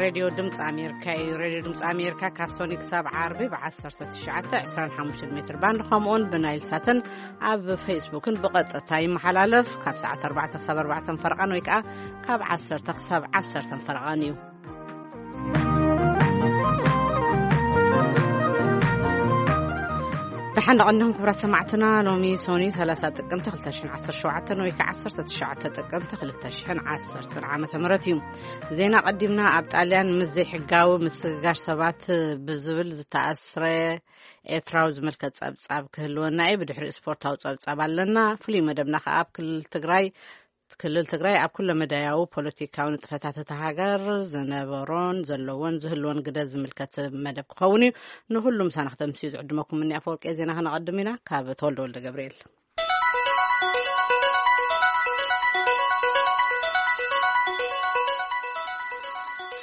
ሬድዮ ድምፂ ኣሜሪካ እዩ። ሬድዮ ድምፂ ኣሜሪካ ካብ ሶኒ ክሳብ ዓርቢ ብ1925 ሜትር ባንድ፣ ከምኡውን ብናይል ሳትን ኣብ ፌስቡክን ብቐጥታ ይመሓላለፍ። ካብ ሰዓት ኣርባዕተ ክሳብ ኣርባዕተ ፈረቓን ወይ ከዓ ካብ ዓሰርተ ክሳብ ዓሰርተ ፈረቓን እዩ። ደሓን ደቐንኹም ክብራት ሰማዕትና። ሎሚ ሶኒ ሰላሳ ጥቅምቲ ክልተ ሽሕን ዓሰርተ ሸውዓተን ወይ ከዓ ዓሰርተ ትሽዓተ ጥቅምቲ ክልተ ሽሕን ዓሰርተን ዓመተ ምህረት እዩ። ዜና ቀዲምና። ኣብ ጣልያን ምስ ዘይሕጋዊ ምስግጋር ሰባት ብዝብል ዝተኣስረ ኤርትራዊ ዝምልከት ጸብጻብ ክህልወና እዩ። ብድሕሪኡ ስፖርታዊ ጸብጻብ ኣለና። ፍሉይ መደብና ከኣ ኣብ ክልል ትግራይ፣ ክልል ትግራይ ኣብ ኩለ መዳያዊ ፖለቲካዊ ንጥፈታት እታ ሃገር ዝነበሮን ዘለዎን ዝህልዎን ግደ ዝምልከት መደብ ክኸውን እዩ። ንኹሉ ምሳና ክተምስዩ ዝዕድመኩም እኒ ኣፈወርቂ። ዜና ከነቐድም ኢና። ካብ ተወልደ ወልደ ገብርኤል።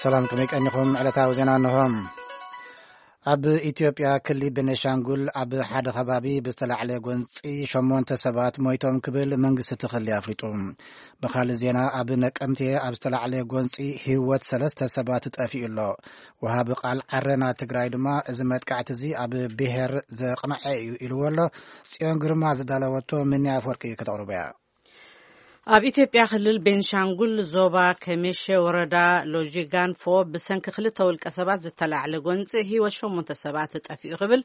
ሰላም፣ ከመይ ቀኒኹም? ዕለታዊ ዜና እንሆ። ኣብ ኢትዮጵያ ክሊ ቤኒሻንጉል ኣብ ሓደ ከባቢ ብዝተላዕለ ጎንፂ ሸሞንተ ሰባት ሞይቶም ክብል መንግስቲ እቲ ክሊ ኣፍሊጡ። ብኻልእ ዜና፣ ኣብ ነቀምቴ ኣብ ዝተላዕለ ጎንፂ ህይወት ሰለስተ ሰባት ጠፊኡ ኣሎ። ወሃቢ ቃል ዓረና ትግራይ ድማ እዚ መጥቃዕቲ እዚ ኣብ ብሄር ዘቕንዐ እዩ ኢልዎ ኣሎ። ጽዮን ግርማ ዝዳለወቶ ምንያ ኣፈወርቂ ከተቕርቦ እያ። ኣብ ኢትዮጵያ ክልል ቤንሻንጉል ዞባ ከሜሸ ወረዳ ሎጂጋንፎ ብሰንኪ ክልተ ውልቀ ሰባት ዝተላዕለ ጎንፂ ህይወት ሸሞንተ ሰባት ጠፊኡ ክብል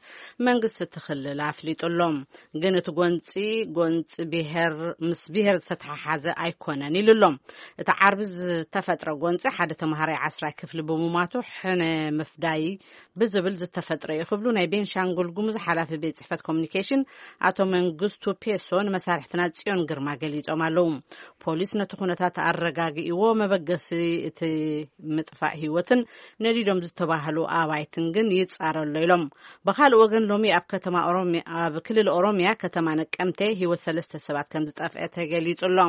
መንግስቲ እቲ ክልል ኣፍሊጡ ኣሎ። ግን እቲ ጎንፂ፣ ጎንፂ ብሄር፣ ምስ ብሄር ዝተተሓሓዘ ኣይኮነን ኢሉ ኣሎ። እቲ ዓርቢ ዝተፈጥረ ጎንፂ ሓደ ተምሃራይ ዓስራይ ክፍሊ ብምማቱ ሕነ ምፍዳይ ብዝብል ዝተፈጥረ እዩ ክብሉ ናይ ቤንሻንጉል ጉሙዝ ሓላፊ ቤት ጽሕፈት ኮሚኒኬሽን ኣቶ መንግስቱ ፔሶ ንመሳርሕትና ጽዮን ግርማ ገሊጾም ኣለዉ። ፖሊስ ነቲ ኩነታት ኣረጋጊእዎ፣ መበገሲ እቲ ምጥፋእ ህይወትን ነዲዶም ዝተባህሉ ኣባይትን ግን ይጻረ ኣሎ ኢሎም። ብኻልእ ወገን፣ ሎሚ ኣብ ከተማ ኦሮሚያ፣ ኣብ ክልል ኦሮሚያ ከተማ ነቀምቴ ህይወት ሰለስተ ሰባት ከም ዝጠፍአ ተገሊጹ ኣሎ።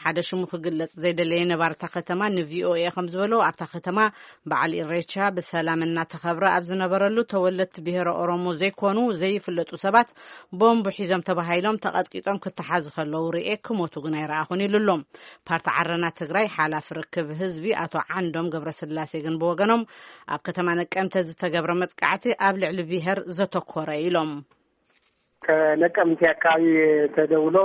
ሓደ ሽሙ ክግለጽ ዘይደለየ ነባሪ እታ ከተማ ንቪኦኤ ከም ዝበሎ፣ ኣብታ ከተማ በዓል ኢሬቻ ብሰላም እናተኸብረ ኣብ ዝነበረሉ፣ ተወለድቲ ብሄረ ኦሮሞ ዘይኮኑ ዘይፍለጡ ሰባት ቦምብ ሒዞም ተባሂሎም ተቐጥቂጦም ክተሓዙ ከለዉ ርኤ፣ ክሞቱ ግን ኣይረኣኹን ኢሉ ኣሎ። ፓርቲ ዓረና ትግራይ ሓላፊ ርክብ ህዝቢ ኣቶ ዓንዶም ገብረስላሴ ግን ብወገኖም፣ ኣብ ከተማ ነቀምተ ዝተገብረ መጥቃዕቲ ኣብ ልዕሊ ብሄር ዘተኮረ ኢሎም። ከነቀምቴ አካባቢ ተደውሎ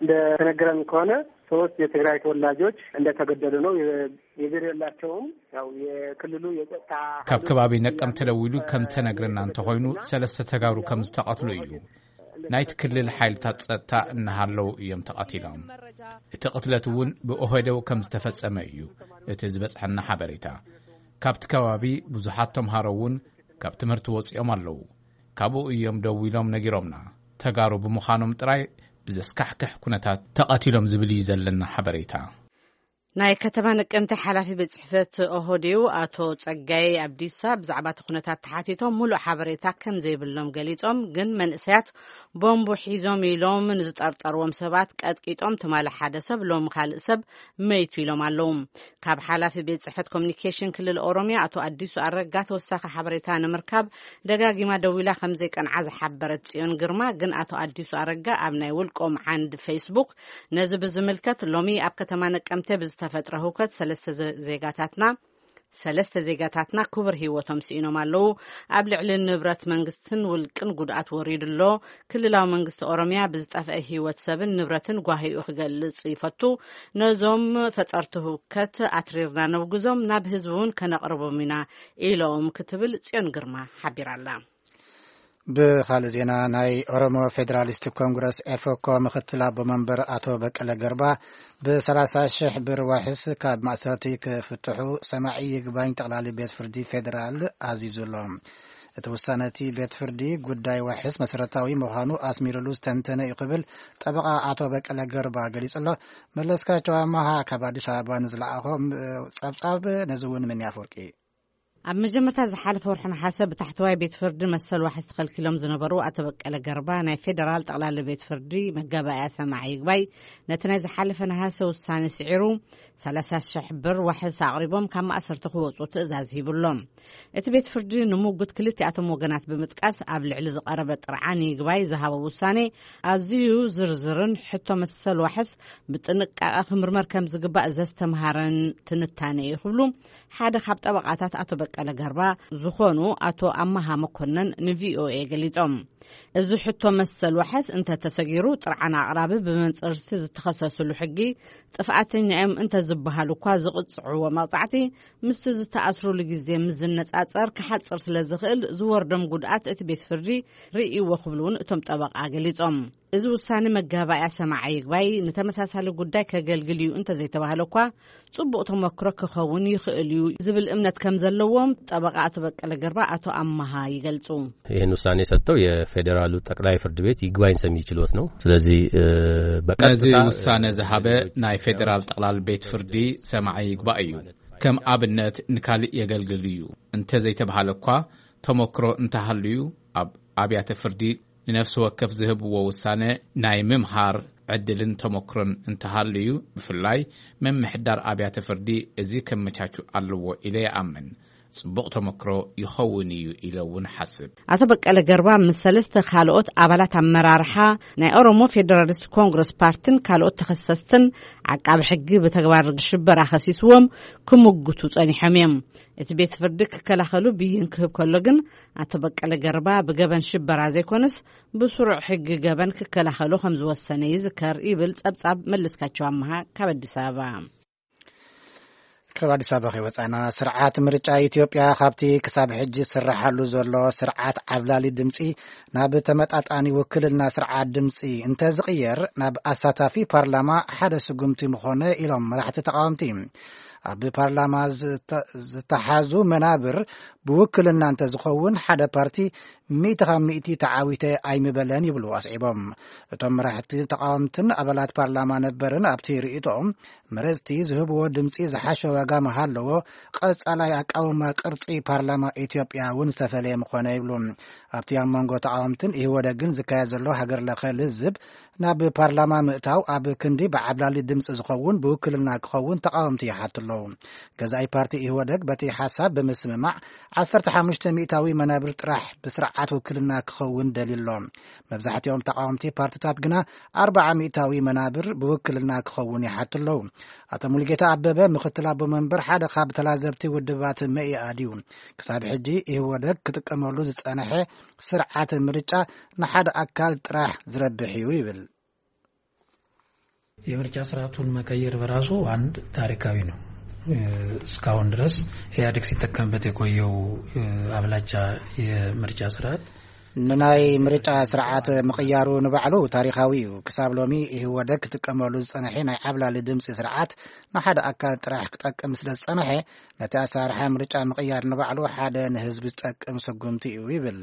እንደተነገረን ከሆነ ሶስት የትግራይ ተወላጆች እንደተገደሉ ነው። የ-፣ የብሔር የላቸውም። ያው የክልሉ የጸጥታ ካብ ኃይሎች ከባቢ ነቀምት ተደዊሉ ከም ተነግረና እንተኾይኑ፣ ሰለስተ ተጋሩ ከም ዝተቐትሉ እዩ። ናይቲ ክልል ሓይልታት ጸጥታ እናሃለዉ እዮም ተቐቲሎም። እቲ ቅትለት እውን ብኦህዴው ከም ዝተፈጸመ እዩ እቲ ዝበጽሐና ሓበሬታ። ካብቲ ከባቢ ብዙሓት ተምሃሮ እውን ካብ ትምህርቲ ወጺኦም ኣለዉ። ካብኡ እዮም ደዊሎም ነጊሮምና። ተጋሩ ብምዃኖም ጥራይ ብዘስካሕክሕ ኩነታት ተቐቲሎም ዝብል እዩ ዘለና ሓበሬታ። ናይ ከተማ ነቀምተ ሓላፊ ቤት ጽሕፈት ኦህዴው ኣቶ ጸጋይ ኣብዲሳ ብዛዕባ እቲ ኩነታት ተሓቲቶም፣ ሙሉእ ሓበሬታ ከም ዘይብሎም ገሊጾም፣ ግን መንእሰያት ቦምቡ ሒዞም ኢሎም ንዝጠርጠርዎም ሰባት ቀጥቂጦም፣ ትማሊ ሓደ ሰብ፣ ሎሚ ካልእ ሰብ መይቱ ኢሎም ኣለዉ። ካብ ሓላፊ ቤት ጽሕፈት ኮሚኒኬሽን ክልል ኦሮሚያ ኣቶ ኣዲሱ ኣረጋ ተወሳኺ ሓበሬታ ንምርካብ ደጋጊማ ደዊላ ከም ዘይቀንዓ ዝሓበረት ጽዮን ግርማ፣ ግን ኣቶ ኣዲሱ ኣረጋ ኣብ ናይ ውልቆም ዓንድ ፌስቡክ ነዚ ብዝምልከት፣ ሎሚ ኣብ ከተማ ነቀምተ ብዝተፈጥረ ህውከት ሰለስተ ዘ-፣ ዜጋታትና፣ ሰለስተ ዜጋታትና ክቡር ህይወቶም ስኢኖም ኣለዉ። ኣብ ልዕሊ ንብረት መንግስትን ውልቅን ጉድኣት ወሪዱ ኣሎ። ክልላዊ መንግስቲ ኦሮሚያ ብዝጠፍአ ህይወት ሰብን ንብረትን ጓሂኡ ክገልጽ ይፈቱ። ነዞም ፈጠርቲ ህውከት ኣትሪርና ነውግዞም፣ ናብ ህዝቢ እውን ከነቕርቦም ኢና ኢሎም ክትብል ጽዮን ግርማ ሓቢራ ኣላ። ብኻልእ ዜና፣ ናይ ኦሮሞ ፌዴራሊስት ኮንግረስ ኤፎኮ ምክትል ኣቦ መንበር ኣቶ በቀለ ገርባ ብ30 ሺሕ ብር ዋሕስ ካብ ማእሰርቲ ክፍትሑ ሰማዒ ይግባኝ ጠቕላሊ ቤት ፍርዲ ፌዴራል ኣዚዙ ኣሎ። እቲ ውሳነ እቲ ቤት ፍርዲ ጉዳይ ዋሕስ መሰረታዊ ምዃኑ ኣስሚሩሉ ዝተንተነ እዩ ክብል ጠበቓ ኣቶ በቀለ ገርባ ገሊጹ ኣሎ። መለስካቸው ኣማሃ ካብ ኣዲስ ኣበባ ንዝለኣኾ ጸብጻብ ነዚ እውን ምን ያፈወርቂ። ኣብ መጀመርታ ዝሓለፈ ወርሒ ነሓሰ ብታሕተዋይ ቤት ፍርዲ መሰል ዋሕስ ተኸልኪሎም ዝነበሩ ኣቶ በቀለ ገርባ፣ ናይ ፌደራል ጠቕላሊ ቤት ፍርዲ መጋባእያ ሰማዒ ይግባይ ነቲ ናይ ዝሓለፈ ነሃሰ ውሳኔ ስዒሩ፣ ሰላሳ ሽሕ ብር ዋሕስ ኣቕሪቦም ካብ ማእሰርቲ ክወጹ ትእዛዝ ሂቡሎም። እቲ ቤት ፍርዲ ንሙጉት ክልቲኣቶም ወገናት ብምጥቃስ፣ ኣብ ልዕሊ ዝቐረበ ጥርዓን ይግባይ ዝሃቦ ውሳኔ ኣዝዩ ዝርዝርን ሕቶ መሰል ዋሕስ ብጥንቃቐ ክምርመር ከም ዝግባእ ዘስተምሃረን ትንታነ እዩ ክብሉ ሓደ ካብ ጠበቓታት ኣቶ በቀለ ገርባ ዝኾኑ ኣቶ ኣማሃ መኮነን ንቪኦኤ ገሊጾም። እዚ ሕቶ መሰል ዋሕስ እንተተሰጊሩ፣ ጥርዓን ኣቕራቢ ብመንጽርቲ ዝተኸሰስሉ ሕጊ ጥፍኣተኛ እዮም እንተዝበሃሉ እኳ ዝቕጽዕዎ መቕጻዕቲ ምስቲ ዝተኣስሩሉ ግዜ ምስ ዝነጻጸር ክሓጽር ስለ ዝኽእል፣ ዝወርዶም ጉድኣት እቲ ቤት ፍርዲ ርእይዎ ክብሉ እውን እቶም ጠበቓ ገሊጾም። እዚ ውሳኔ መጋባእያ ሰማዓ ይግባይ ንተመሳሳሊ ጉዳይ ከገልግል እዩ እንተዘይተባህለ እኳ፣ ጽቡቕ ተመክሮ ክኸውን ይኽእል እዩ ዝብል እምነት ከም ዘለዎም ጠበቓ ኣቶ በቀለ ገርባ ኣቶ ኣማሃ ይገልጹ። ይህን ውሳኔ የሰጠው የፌዴራሉ ጠቅላይ ፍርድ ቤት ይግባኝ ሰሚ ችሎት ነው። ስለዚህ እ፣ በቀጥታ ነዚ ውሳኔ ዝሃበ ናይ ፌዴራል ጠቅላል ቤት ፍርዲ ሰማዒ ይግባእ እዩ። ከም ኣብነት ንካልእ የገልግል እዩ እንተዘይተባሃለ እኳ፣ ተመክሮ እንተሃልዩ ኣብ ኣብያተ ፍርዲ ንነፍሲ ወከፍ ዝህብዎ ውሳነ ናይ ምምሃር ዕድልን ተመክሮን እንተሃልዩ፣ ብፍላይ ምምሕዳር ኣብያተ ፍርዲ እዚ ከመቻቹ ኣለዎ ኢለ ይኣምን። ጽቡቕ ተመክሮ ይኸውን እዩ ኢለ እውን ሓስብ። ኣቶ በቀለ ገርባ ምስ ሰለስተ ካልኦት ኣባላት ኣመራርሓ ናይ ኦሮሞ ፌደራሊስት ኮንግረስ ፓርቲን ካልኦት ተኸሰስትን ዓቃቢ ሕጊ ብተግባር ሽበራ ከሲስዎም ክምጉቱ ጸኒሖም እዮም። እቲ ቤት ፍርዲ ክከላኸሉ ብይን ክህብ ከሎ ግን፣ ኣቶ በቀለ ገርባ ብገበን ሽበራ ዘይኮነስ ብስሩዕ ሕጊ ገበን ክከላኸሉ ከም ዝወሰነ ይዝከር ይብል ጸብጻብ መለስካቸው ኣመሃ ካብ ኣዲስ ኣበባ። ካብ ኣዲስ ኣበባ ከይወጻና፣ ስርዓት ምርጫ ኢትዮጵያ ካብቲ ክሳብ ሕጂ ዝስራሓሉ ዘሎ ስርዓት ዓብላሊ ድምጺ ናብ ተመጣጣኒ ውክልና ስርዓት ድምጺ እንተዝቕየር፣ ናብ ኣሳታፊ ፓርላማ ሓደ ስጉምቲ ምኾነ ኢሎም መራሕቲ ተቃወምቲ። ኣብ ፓርላማ ዝተ-፣ ዝተሓዙ መናብር ብውክልና እንተዝኸውን፣ ሓደ ፓርቲ ሚእቲ ካብ ሚእቲ ተዓዊተ ኣይምበለን ይብሉ ኣስዒቦም። እቶም መራሕቲ ተቃወምትን ኣባላት ፓርላማ ነበርን ኣብቲ ርእይቶኦም፣ መረጽቲ ዝህብዎ ድምጺ ዝሓሸ ዋጋ ምሃለዎ፣ ቀጻላይ ኣቃውማ ቅርጺ ፓርላማ ኢትዮጵያ እውን ዝተፈለየ ምኾነ ይብሉ። ኣብቲ ኣብ መንጎ ተቃወምትን ኢህወደግን ዝካየድ ዘሎ ሃገር ለኸ ልዝብ፣ ናብ ፓርላማ ምእታው ኣብ ክንዲ ብዓብላሊ ድምጺ ዝኸውን ብውክልና ክኸውን ተቃወምቲ ይሓቱ ኣለዉ። ገዛኢ ፓርቲ ኢህወደግ በቲ ሓሳብ ብምስምማዕ፣ ዓሰርተ ሓሙሽተ ሚእታዊ መናብር ጥራሕ ብስርዓት ውክልና ክኸውን ደልዩ ኣሎ። መብዛሕትኦም ተቃወምቲ ፓርትታት ግና ኣርብዓ ሚእታዊ መናብር ብውክልና ክኸውን ይሓቱ ኣለዉ። ኣቶ ሙሉጌታ ኣበበ፣ ምክትል ኣቦ መንበር ሓደ ካብ ተላዘብቲ ውድባት መኢኣድ እዩ። ክሳብ ሕጂ ኢህወደግ ክጥቀመሉ ዝጸንሐ ስርዓት ምርጫ ንሓደ ኣካል ጥራሕ ዝረብሕ እዩ ይብል። የምርጫ ስርዓቱን መቀየር በራሱ አንድ ታሪካዊ ነው። እስካሁን ድረስ ኢህአዴግ ሲጠቀምበት የቆየው አብላጫ የምርጫ ስርዓት ንናይ ምርጫ ስርዓት ምቕያሩ ንባዕሉ ታሪኻዊ እዩ። ክሳብ ሎሚ ኢህወደግ ክጥቀመሉ ዝጸንሐ ናይ ዓብላሊ ድምጺ ስርዓት ንሓደ ኣካል ጥራሕ ክጠቅም ስለ ዝጸንሐ፣ ነቲ ኣሰራርሓ ምርጫ ምቕያር ንባዕሉ ሓደ ንህዝቢ ዝጠቅም ስጉምቲ እዩ ይብል።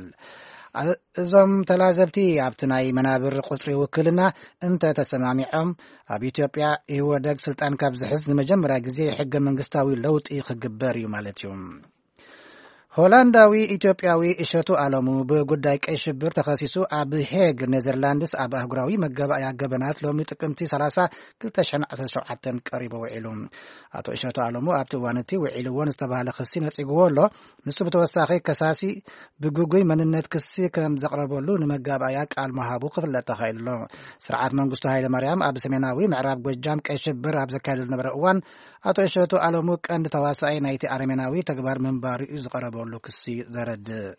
እ-፣ እዞም ተላዘብቲ ኣብቲ ናይ መናብር ቁጽሪ ውክልና እንተ ተሰማሚዖም፣ ኣብ ኢትዮጵያ ኢህወደግ ስልጣን ካብ ዝሕዝ ንመጀመርያ ግዜ ሕገ መንግስታዊ ለውጢ ክግበር እዩ ማለት እዩ። ሆላንዳዊ ኢትዮጵያዊ እሸቱ ኣለሙ ብጉዳይ ቀይ ሽብር ተኸሲሱ ኣብ ሄግ ኔዘርላንድስ ኣብ ኣህጉራዊ መጋባእያ ገበናት ሎሚ ጥቅምቲ ሰላሳ ክልተ ሽሕን ዓሰርተ ሸውዓተን ቀሪቡ ውዒሉ። ኣቶ እሸቱ ኣለሙ ኣብቲ እዋን እቲ ውዒልዎ ንዝተባህለ ክሲ ነጺግዎ ኣሎ። ንሱ ብተወሳኺ ከሳሲ ብግጉይ መንነት ክሲ ከም ዘቕረበሉ ንመጋባእያ ቃል ምሃቡ ክፍለጥ ተኻኢሉ ኣሎ። ስርዓት መንግስቱ ሃይለ ማርያም ኣብ ሰሜናዊ ምዕራብ ጎጃም ቀይ ሽብር ኣብ ዘካየዱ ዝነበረ እዋን፣ ኣቶ እሸቱ ኣለሙ ቀንዲ ተዋሳኣይ ናይቲ ኣረሜናዊ ተግባር ምንባሩ እዩ ዝቐረበሉ ክሲ ዘረድእ።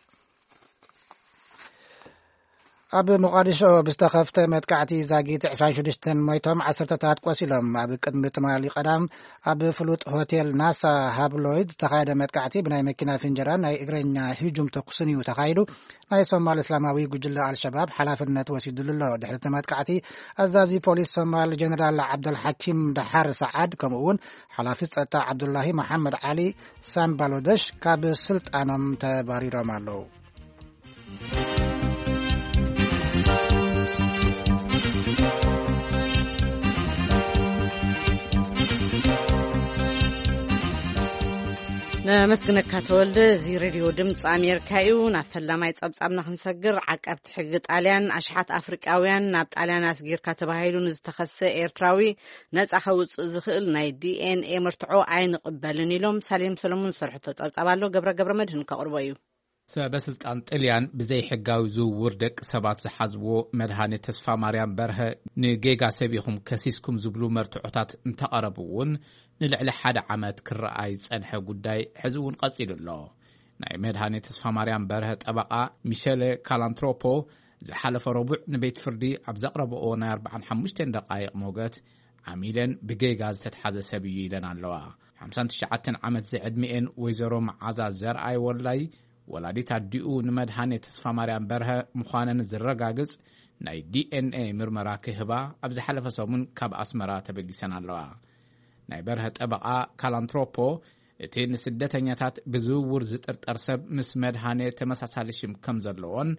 ኣብ ሞቃዲሾ ብዝተኸፍተ መጥቃዕቲ ዛጊት ዕስራን ሽዱሽተን ሞይቶም፣ ዓሰርተታት ቆሲሎም። ኣብ ቅድሚ ትማሊ ቀዳም ኣብ ፍሉጥ ሆቴል ናሳ ሃብሎይድ ዝተኻየደ መጥቃዕቲ ብናይ መኪና ፍንጀራን ናይ እግረኛ ህጁም ተኩስን እዩ ተኻይዱ። ናይ ሶማል እስላማዊ ጉጅለ ኣልሸባብ ሓላፍነት ወሲዱሉ ኣሎ። ድሕሪ እቲ መጥቃዕቲ፣ ኣዛዚ ፖሊስ ሶማል ጀነራል ዓብደልሓኪም ደሓር ሰዓድ፣ ከምኡ እውን ሓላፊ ጸጥታ ዓብዱላሂ መሓመድ ዓሊ ሳምባሎደሽ ካብ ስልጣኖም ተባሪሮም ኣለዉ። ነመስግነካ ተወልደ። እዚ ሬድዮ ድምፂ ኣሜሪካ እዩ። ናብ ፈላማይ ጸብጻብና ክንሰግር፣ ዓቃብቲ ሕጊ ጣልያን፣ ኣሽሓት ኣፍሪቃውያን ናብ ጣልያን ኣስጊርካ ተባሂሉ ንዝተኸሰ ኤርትራዊ ነጻ ከውፅእ ዝኽእል ናይ ዲኤንኤ መርትዖ ኣይንቕበልን ኢሎም። ሳሌም ሰለሙን ዝሰርሐቶ ጸብጻብ ኣሎ፣ ገብረ ገብረ መድህን ከቕርቦ እዩ። ሰበ ስልጣን ጥልያን ብዘይ ሕጋዊ ዝውውር ደቂ ሰባት ዝሓዝዎ መድሃኔ ተስፋ ማርያም በርሀ፣ ንጌጋ ሰብ ኢኹም ከሲስኩም ዝብሉ መርትዖታት እንተቐረቡ እውን፣ ንልዕሊ ሓደ ዓመት ክረኣይ ዝጸንሐ ጉዳይ ሕዚ እውን ቀጺሉ ኣሎ። ናይ መድሃኔ ተስፋ ማርያም በርሀ ጠበቓ ሚሸለ ካላንትሮፖ ዝሓለፈ ረቡዕ ንቤት ፍርዲ ኣብ ዘቕረበኦ ናይ ኣርባዓን ሓሙሽተን ደቓይቕ ሞገት፣ ዓሚለን ብጌጋ ዝተትሓዘ ሰብ እዩ ኢለን ኣለዋ። ሓምሳን ትሽዓተን ዓመት ዝዕድሚኤን ወይዘሮ መዓዛ ዘርኣይ ወላይ፣ ወላዲት ኣዲኡ ንመድሃኔ ተስፋ ማርያም በርሀ ምዃነን ዝረጋግጽ ናይ ዲኤንኤ ምርመራ ክህባ ኣብ ዝሓለፈ ሰሙን ካብ ኣስመራ ተበጊሰን ኣለዋ። ናይ በርሀ ጠበቓ ካላንትሮፖ፣ እቲ ንስደተኛታት ብዝውውር ዝጥርጠር ሰብ ምስ መድሃኔ ተመሳሳሊ ሽም ከም ዘለዎን፣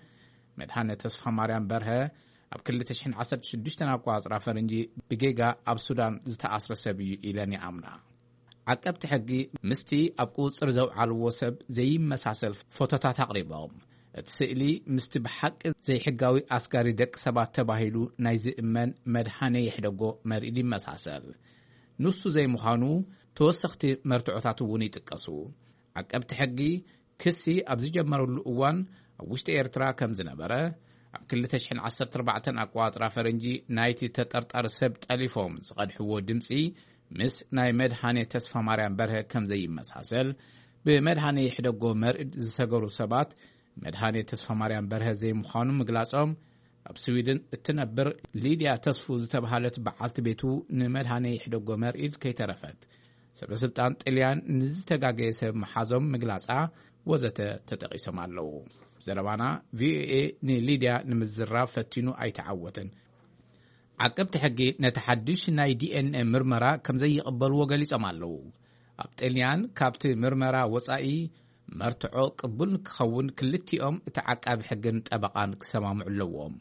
መድሃኔ ተስፋ ማርያም በርሀ ኣብ ክልተ ሽሕን ዓሰርተ ሽዱሽተን ኣቋጽራ ፈረንጂ ብጌጋ ኣብ ሱዳን ዝተኣስረ ሰብ እዩ ኢለን ይኣምና። ዓቀብቲ ሕጊ ምስቲ ኣብ ቁጽጽር ዘውዓልዎ ሰብ ዘይመሳሰል ፎቶታት ኣቕሪቦም፣ እቲ ስእሊ ምስቲ ብሓቂ ዘይሕጋዊ ኣስጋሪ ደቂ ሰባት ተባሂሉ ናይ ዝእመን መድሃኔ ይሕደጎ መርኢድ ይመሳሰል። ንሱ ዘይምዃኑ ተወሰኽቲ መርትዖታት እውን ይጥቀሱ። ዓቀብቲ ሕጊ ክሲ ኣብ ዝጀመረሉ እዋን ኣብ ውሽጢ ኤርትራ ከም ዝነበረ፣ ኣብ ክልተ ሽሕን ዓሰርተ ኣርባዕተን ኣቋጽራ ፈረንጂ ናይቲ ተጠርጣሪ ሰብ ጠሊፎም ዝቐድሕዎ ድምጺ ምስ ናይ መድሃኔ ተስፋ ማርያም በርሀ ከም ዘይመሳሰል፣ ብመድሃኔ ይሕደጎ መርኢድ ዝሰገሩ ሰባት መድሃኔ ተስፋ ማርያም በርሀ ዘይምዃኑ ምግላጾም፣ ኣብ ስዊድን እትነብር ሊድያ ተስፉ ዝተባህለት በዓልቲ ቤቱ ንመድሃኔ ይሕደጎ መርኢድ ከይተረፈት፣ ሰበ ስልጣን ጥልያን ንዝተጋገየ ሰብ ምሓዞም ምግላጻ ወዘተ ተጠቒሶም ኣለዉ። ዘረባና ቪኦኤ ንሊድያ ንምዝራብ ፈቲኑ ኣይተዓወትን። ዓቀብቲ ሕጊ ነቲ ሓድሽ ናይ ዲኤንኤ ምርመራ ከም ዘይቕበልዎ ገሊጾም ኣለዉ። ኣብ ጥልያን ካብቲ ምርመራ ወጻኢ መርትዖ ቅቡል ንክኸውን ክልቲኦም እቲ ዓቃቢ ሕግን ጠበቓን ክሰማምዑ ኣለዎም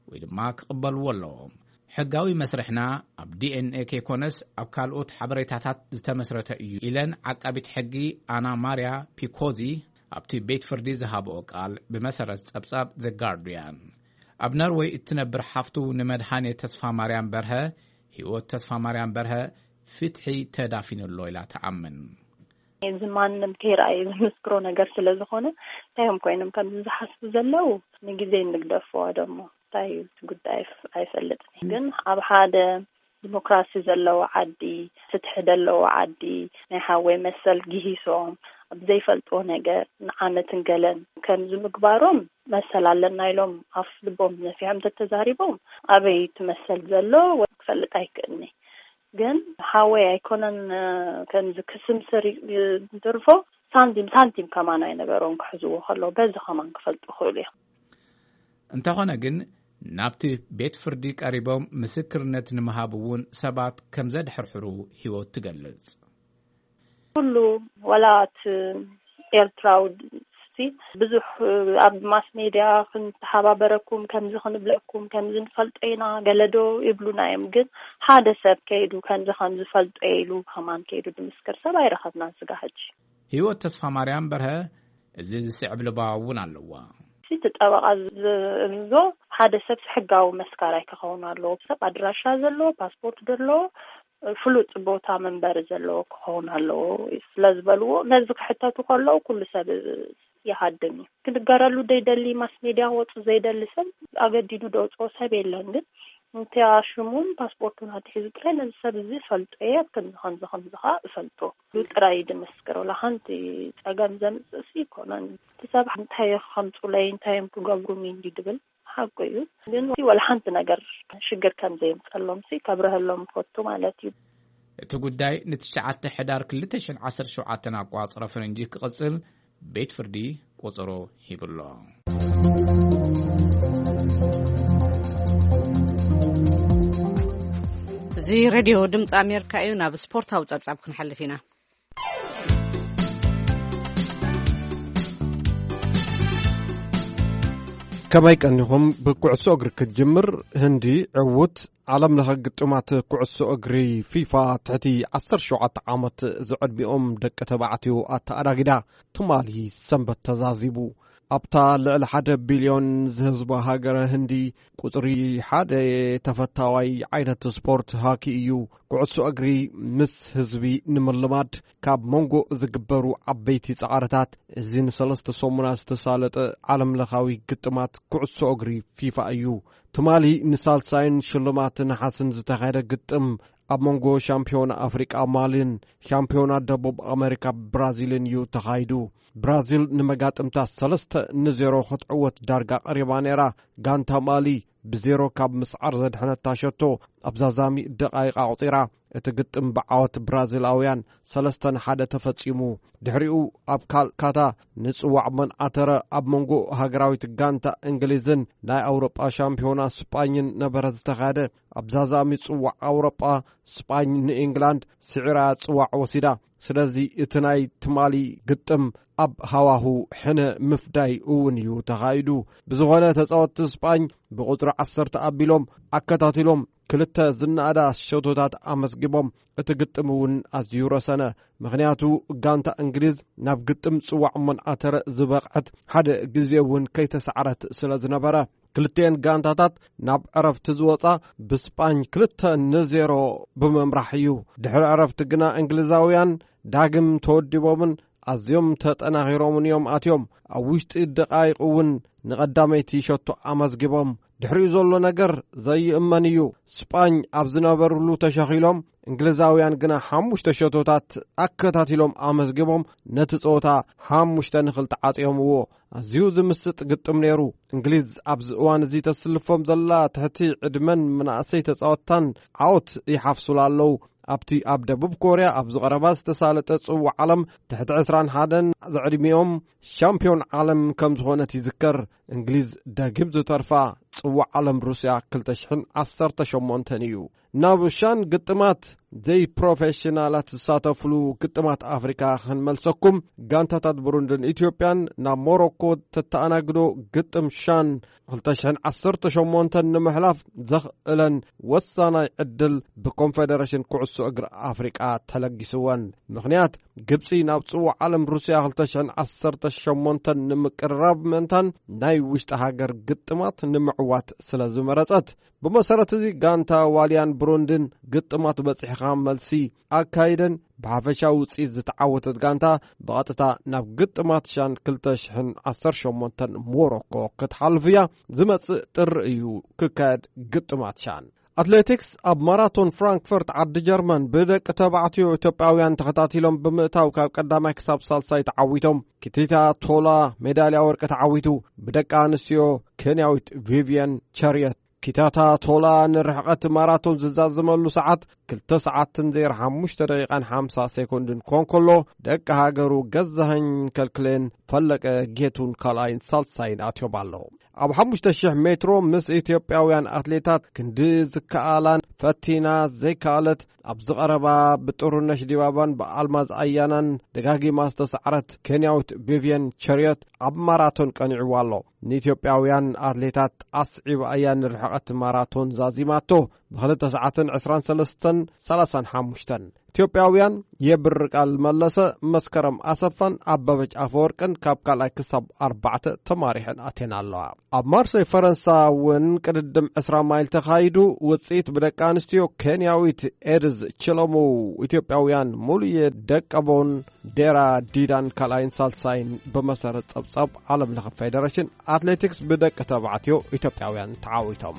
ወይ ድማ ክቕበልዎ ኣለዎም። ሕጋዊ መስርሕና ኣብ ዲኤንኤ ከይኮነስ ኣብ ካልኦት ሓበሬታታት ዝተመስረተ እዩ ኢለን ዓቃቢት ሕጊ ኣና ማርያ ፒኮዚ ኣብቲ ቤት ፍርዲ ዝሃብኦ ቃል ብመሰረት ጸብጻብ ዘ ጋርዲያን። ኣብ ነርወይ እትነብር ሓፍቱ ንመድሃኔ ተስፋ ማርያም በርሀ፣ ህይወት ተስፋ ማርያም በርሀ ፍትሒ ተዳፊኑ ኣሎ ኢላ ትኣምን። እዚ ማንም ከይረኣየ ዝምስክሮ ነገር ስለ ዝኾነ፣ እንታይ እዮም ኮይኖም ከምዚ ዝሓስቡ ዘለዉ ንግዜ ንግደፎ ደሞ። እንታይ እዩ እቲ ጉዳይ ኣይፍ-፣ ኣይፈልጥን። ግን ኣብ ሓደ ዲሞክራሲ ዘለዎ ዓዲ፣ ፍትሒ ዘለዎ ዓዲ፣ ናይ ሓወይ መሰል ግሂሶም፣ ኣብ ዘይፈልጥዎ ነገር ንዓመትን ገለን ከምዚ ምግባሮም መሰል ኣለና ኢሎም ኣፍ ልቦም ነፊሖም ተተዛሪቦም፣ ኣበይ እቲ መሰል ዘሎ ወይ ክፈልጥ ኣይክእልኒ። ግን ሓወይ ኣይኮነን፣ እ፣ ከምዚ ክስምስር ይ-፣ እንትርፎ ሳንቲም፣ ሳንቲም ከማን ኣይነበሮም ክሕዝዎ ከለዉ፣ በዚ ከማን ክፈልጡ ይኽእሉ እዮም። እንተኾነ ግን፣ ናብቲ ቤት ፍርዲ ቀሪቦም ምስክርነት ንምሃብ እውን ሰባት ከም ዘድሕርሕሩ ህይወት ትገልጽ። ኩሉ፣ ዋላ እቲ ኤርትራዊ ሲ ብዙሕ ኣብ ማስ ሜድያ ክንተሓባበረኩም፣ ከምዚ ክንብለኩም፣ ከምዚ ንፈልጦ ኢና፣ ገለዶ ይብሉና እዮም። ግን ሓደ ሰብ ከይዱ ከምዚ ከምዚ ፈልጦ ኢሉ ከማን ከይዱ ድምስክር ሰብ ኣይረኸብናን ስጋ ሕጂ። ህይወት ተስፋ ማርያም በርሀ እዚ ዝስዕብ ልባዋ እውን ኣለዋ። እቲ ጠበቓ ዝእዝዞ ሓደ ሰብ ሕጋዊ መስካራይ ክኸውን ኣለዎ። ሰብ ኣድራሻ ዘለዎ፣ ፓስፖርት ዘለዎ፣ ፍሉጥ ቦታ መንበሪ ዘለዎ ክኸውን ኣለዎ ስለ ዝበልዎ፣ ነዚ ክሕተቱ ከለዉ ኩሉ ሰብ ይሃድም እዩ። ክንገረሉ ዘይደሊ፣ ማስ ሜድያ ክወፁ ዘይደሊ ሰብ ኣገዲዱ ደውፅኦ ሰብ የለን። ግን እንተ ሽሙን ፓስፖርቱን ኣትሒዙ ጥራይ ነዚ ሰብ እዚ እፈልጦ እየ፣ ከምዚ ከምዚ ከምዚ ከዓ እፈልጦ ኢሉ ጥራይ እዩ ድምስክር። ወላ ሓንቲ ጸገም ዘምጽእ ሲ ይኮነን። እቲ ሰብ እንታይ ከምጹለይ፣ እንታይ እዮም ክገብሩኒ እንዲ ድብል ሓቁ እዩ። ግን ወላ ሓንቲ ነገር ሽግር ከም ዘየምጸሎም ሲ ከብረሀሎም ፈቱ ማለት እዩ። እቲ ጉዳይ ንትሽዓተ ሕዳር ክልተ ሽሕን ዓሰርተ ሸውዓተን ኣቋጽረ ፈረንጂ ክቕጽል ቤት ፍርዲ ቆጸሮ ሂብሎ። እዚ ሬድዮ ድምፂ ኣሜሪካ እዩ። ናብ ስፖርታዊ ጸብጻብ ክንሓልፍ ኢና። ከመይ ቀኒኹም? ብኩዕሶ እግሪ ክትጅምር ህንዲ ዕዉት ዓለም ለኸ ግጥማት ኩዕሶ እግሪ ፊፋ ትሕቲ ዓሰርተ ሸውዓተ ዓመት ዝዕድሚኦም ደቂ ተባዕትዮ ኣተኣዳጊዳ ትማሊ ሰንበት ተዛዚሙ። ኣብታ ልዕሊ ሓደ ቢልዮን ዝህዝባ ሃገረ ህንዲ፣ ቁጽሪ ሓደ ተፈታዋይ ዓይነት ስፖርት ሃኪ እዩ። ኩዕሶ እግሪ ምስ ህዝቢ ንምልማድ ካብ መንጎ ዝግበሩ ዓበይቲ ጻዕርታት፣ እዚ ንሰለስተ ሰሙናት ዝተሳለጠ ዓለም ለኻዊ ግጥማት ኩዕሶ እግሪ ፊፋ እዩ። ትማሊ ንሳልሳይን ሽልማት ነሓስን ዝተኻየደ ግጥም፣ ኣብ መንጎ ሻምፒዮና ኣፍሪቃ ማሊን ሻምፒዮና ደቡብ ኣመሪካ ብራዚልን እዩ ተኻይዱ። ብራዚል ንመጋጥምታ ሰለስተ ንዜሮ ክትዕወት ዳርጋ ቀሪባ ነይራ። ጋንታ ማሊ ብዜሮ ካብ ምስዓር ዘድሐነታ ሸቶ ኣብ ዛዛሚ ደቓይቕ ኣቑጺራ። እቲ ግጥም ብዓወት ብራዚላውያን ሰለስተ ንሓደ ተፈጺሙ። ድሕሪኡ ኣብ ካልካታ ንጽዋዕ መን ኣተረ ኣብ መንጎ ሃገራዊት ጋንታ እንግሊዝን ናይ ኣውሮጳ ሻምፒዮና ስጳኝን ነበረ ዝተኻየደ። ኣብ ዛዛሚ ጽዋዕ ኣውሮጳ ስጳኝ ንኢንግላንድ ስዒራ ጽዋዕ ወሲዳ። ስለዚ እቲ ናይ ትማሊ ግጥም ኣብ ሃዋሁ ሕነ ምፍዳይ እውን እዩ ተኻይዱ። ብዝኾነ ተጻወትቲ ስጳኝ ብቁጽሪ ዓሰርተ ኣቢሎም ኣከታቲሎም ክልተ ዝነኣዳ ሸቶታት ኣመዝጊቦም። እቲ ግጥም እውን ኣዝዩ ረሰነ። ምኽንያቱ ጋንታ እንግሊዝ ናብ ግጥም ጽዋዕ መን ኣተረ ዝበቕዐት ሓደ ግዜ እውን ከይተሳዕረት ስለ ዝነበረ። ክልቲኤን ጋንታታት ናብ ዕረፍቲ ዝወጻ ብስጳኝ ክልተ ንዜሮ ብምምራሕ እዩ። ድሕሪ ዕረፍቲ ግና እንግሊዛውያን ዳግም ተወዲቦምን ኣዝዮም ተጠናኺሮምን እዮም ኣትዮም። ኣብ ውሽጢ ደቓይቕ እውን ንቐዳመይቲ ሸቶ ኣመዝጊቦም። ድሕሪኡ ዘሎ ነገር ዘይእመን እዩ። ስጳኝ ኣብ ዝነበርሉ ተሸኺሎም፣ እንግሊዛውያን ግና ሓሙሽተ ሸቶታት ኣከታቲሎም ኣመዝጊቦም ነቲ ጸወታ ሓሙሽተ ንኽልተ ዓጽዮምዎ። ኣዝዩ ዝምስጥ ግጥም ነይሩ። እንግሊዝ ኣብዚ እዋን እዚ ተስልፎም ዘላ ትሕቲ ዕድመን መናእሰይ ተጻወትታን ዓወት ይሓፍሱላ ኣለዉ። ኣብቲ ኣብ ደቡብ ኮርያ ኣብ ዝቐረባ ዝተሳለጠ ጽዋዕ ዓለም ትሕቲ ዕስራን ሓደን ዝዕድሚኦም ሻምፒዮን ዓለም ከም ዝኾነት ይዝከር። እንግሊዝ ደጊም ዝተርፋ ጽዋዕ ዓለም ሩስያ ክልተ ሽሕን ዓሰርተ ሸሞንተን እዩ። ናብ ሻን ግጥማት ዘይፕሮፌሽናላት ዝሳተፍሉ ግጥማት ኣፍሪካ ክንመልሰኩም። ጋንታታት ብሩንድን ኢትዮጵያን ናብ ሞሮኮ ተተኣናግዶ ግጥም ሻን ክልተ ሽሕን ዓሰርተ ሸሞንተን ንምሕላፍ ዘኽእለን ወሳናይ ዕድል ብኮንፌደሬሽን ኩዕሶ እግሪ ኣፍሪቃ ተለጊስወን። ምኽንያት፣ ግብጺ ናብ ጽዋዕ ዓለም ሩስያ ክልተ ሽሕን ዓሰርተ ሸሞንተን ንምቅርራብ ምእንታን ናይ ውሽጢ ሃገር ግጥማት ንምዕዋት ስለ ዝመረጸት። ብመሰረት እዚ ጋንታ ዋልያን ብሩንድን ግጥማት በጺሕኻ መልሲ ኣካይደን ብሓፈሻዊ ውጽኢት ዝተዓወተት ጋንታ ብቐጥታ ናብ ግጥማት ሻን ክልተ ሽሕን ዓሰርተ ሸሞንተን ሞሮኮ ክትሓልፍ እያ። ዝመጽእ ጥሪ እዩ ክካየድ ግጥማት ሻን። ኣትሌቲክስ፣ ኣብ ማራቶን ፍራንክፈርት ዓዲ ጀርመን ብደቂ ተባዕትዮ ኢትዮጵያውያን ተኸታቲሎም ብምእታው ካብ ቀዳማይ ክሳብ ሳልሳይ ተዓዊቶም። ኪቲታ ቶላ ሜዳልያ ወርቂ ተዓዊቱ። ብደቂ ኣንስትዮ ኬንያዊት ቪቪየን ቸርየት። ኪታታ ቶላ ንርሕቐት ማራቶን ዝዛዘመሉ ሰዓት ክልተ ሰዓትን ዜሮ ሓሙሽተ ደቂቃን ሓምሳ ሴኮንድን ኮን ከሎ፣ ደቂ ሃገሩ ገዛኸኝ ከልክሌን ፈለቀ ጌቱን ካልኣይን ሳልሳይን ኣትዮም ኣለዉ። ኣብ ሓሙሽተ ሽሕ ሜትሮ ምስ ኢትዮጵያውያን ኣትሌታት ክንዲ ዝከኣላን ፈቲና ዘይከኣለት፣ ኣብ ዝቐረባ ብጥሩነሽ ዲባባን ብኣልማዝ ኣያናን ደጋጊማ ዝተሳዕረት ኬንያዊት ቪቪየን ቸርየት ኣብ ማራቶን ቀኒዕዋ ኣሎ። ንኢትዮጵያውያን ኣትሌታት ኣስዒባ እያ ንርሕቐት ማራቶን ዛዚማቶ፣ ብኽልተ ሰዓትን ዕስራን ሰለስተን ሰላሳን ሓሙሽተን። ኢትዮጵያውያን የብር ቃል መለሰ፣ መስከረም ኣሰፋን ኣበበች ኣፈወርቅን ካብ ካልኣይ ክሳብ ኣርባዕተ ተማሪሐን ኣትየን ኣለዋ። ኣብ ማርሴይ ፈረንሳ እውን ቅድድም ዕስራ ማይል ተኻይዱ። ውጽኢት ብደቂ ኣንስትዮ ኬንያዊት ኤድዝ ችለሙ፣ ኢትዮጵያውያን ሙሉየ ደቀቦን ዴራ ዲዳን ካልኣይን ሳልሳይን ብመሰረት ጸብጻብ ዓለም ለኸ ፌደሬሽን ኣትሌቲክስ ብደቂ ተባዕትዮ ኢትዮጵያውያን ተዓዊቶም።